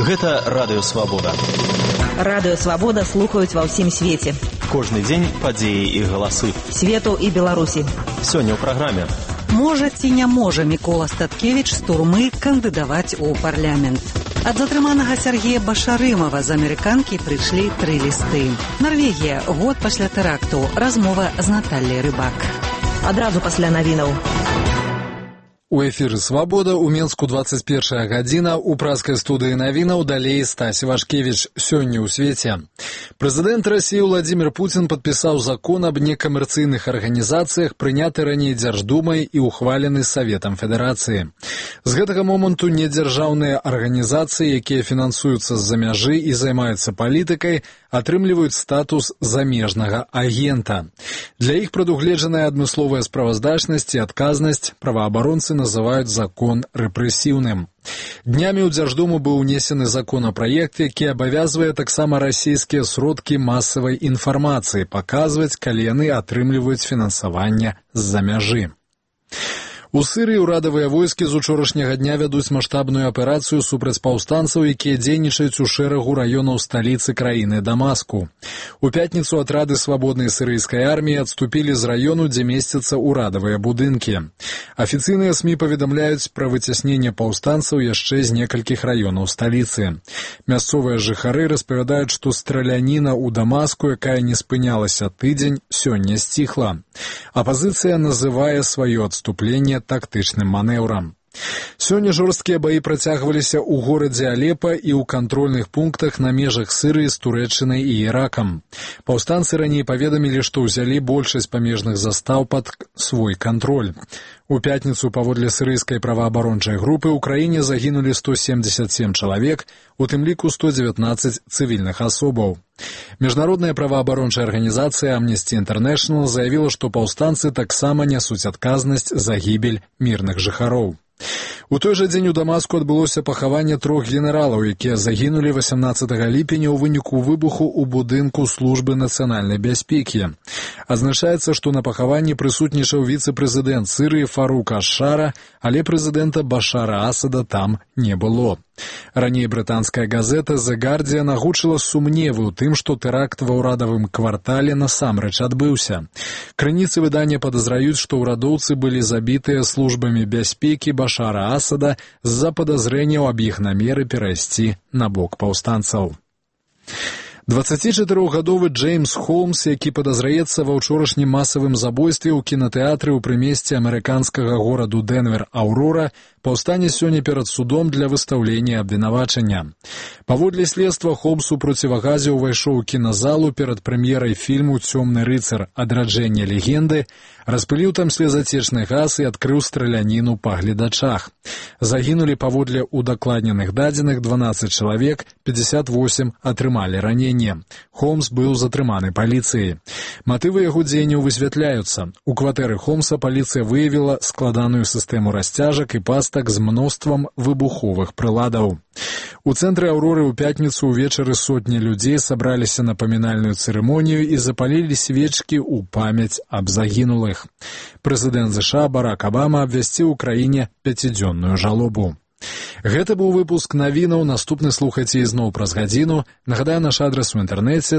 Гэта Радыё Свабода. Радыё Свабода слухаюць ва ўсім свеце. Кожны дзень падзеі і галасы. Свету і Беларусі. Сёння ў праграме. Можа ці не можа Мікола Статкевіч з турмы кандыдаваць у парламент? Ад затрыманага Сергея Башарымова з амерыканкі прыйшлі 3 лісты. Нарвегія, год пасля тэракту. Размова з Натальяй Рыбак. Адразу пасля навінаў. У эфіры «Свабода» у Менску 21 гадзіна, у праскай студыі навінаў далей Стась Вашкевіч. Сёння ў свеце. Прэзідэнт Расіі Владзімір Пуцін падпісаў закон аб некамерцыйных арганізацыях, прыняты раней Дзярждумай і ухвалены Саветам Федэрацыі. З гэтага моманту недзяржаўныя арганізацыі, якія фінансуюцца з-за мяжы і займаюцца палітыкай, атрымліваюць статус замежнага агента. Для іх прадугледжаная адмысловая справаздачнасць і адказнасць, праваабаронцы называюць закон рэпрэсіўным. Днямі ў Дзярждуму быў унесены законапраект, які абавязвае таксама расійскія сродкі масавай інфармацыі паказваць, калі яны атрымліваюць фінансаванне з-за мяжы. У Сырыі ўрадавыя войскі з учорашняга дня вядуць маштабную аперацыю супраць паўстанцаў, якія дзейнічаюць у шэрагу раёнаў сталіцы краіны Дамаску. У пятніцу атрады свабоднай сірыйскай арміі адступілі з раёну, дзе месцяцца ўрадавыя будынкі. Афіцыйныя СМІ паведамляюць пра выцясненне паўстанцаў яшчэ з некалькіх раёнаў сталіцы. Мясцовыя жыхары распавядаюць, што страляніна ў Дамаску, якая не спынялася тыдзень, сёння сціхла. Апазіцыя называе сваё адступленне тактычным манеўрам. Сёння жорсткія баі працягваліся ў горадзе Алепа і ў кантрольных пунктах на межах Сырыі з Турэччынай і Іракам. Паўстанцы раней паведамілі, што ўзялі большасць памежных застаў пад свой кантроль. У пятніцу паводле сірыйскай праваабарончай групы ў краіне загінулі 177 чалавек, у тым ліку 119 цывільных асобаў. Міжнародная праваабарончая арганізацыя Amnesty International заявіла, што паўстанцы таксама нясуць адказнасць за гібель мірных жыхароў. У той жа дзень у Дамаску адбылося пахаванне 3 генералаў, якія загінулі 18 ліпеня ў выніку выбуху ў будынку службы нацыянальнай бяспекі. Адзначаецца, што на пахаванні прысутнічаў віцэ-прэзідэнт Сырыі Фарук аш-Шара, але прэзідэнта Башара Асада там не было. Раней брытанская газета The Guardian агучыла сумневы ў тым, што тэракт ва ўрадавым квартале насамрэч адбыўся. Крыніцы выдання падазраюць, што ўрадоўцы былі забітыя службамі бяспекі Башара Асада з-за падазрэнняў аб іх намеры перайсці на бок паўстанцаў. 24-гадовы Джеймс Холмс, які падазраецца ва ўчорашнім масавым забойстве ў кінатэатры ў прымесці амерыканскага гораду Дэнвер Аўрора, паўстане сёння перад судом для выстаўлення абвінавачання. Паводле следства, Холмс у процівагазе ўвайшоў у кіназалу перад прэм'ерай фільму «Цёмны рыцар. Адраджэнне легенды», распыліў там слезацечны газ і адкрыў страляніну па гледачах. Загінулі паводле удакладненых дадзеных 12 чалавек, 58 атрымалі раненне. Холмс быў затрыманы паліцыяй. Матывы яго дзеянняў высвятляюцца. У кватэры Холмса паліцыя выявіла складаную сістэму расцяжак і пастак з мноствам выбуховых прыладаў. У цэнтры Аўроры ў пятніцу ўвечары сотні людзей сабраліся на памінальную цырымонію і запалілі свечкі ў памяць аб загінулых. Прэзідэнт США Барак Абама абвясціў у краіне 5-дзённую жалобу. Гэта быў выпуск навінаў. Наступны слухайце ізноў праз гадзіну. Нагадаю, наш адрас у інтэрнэце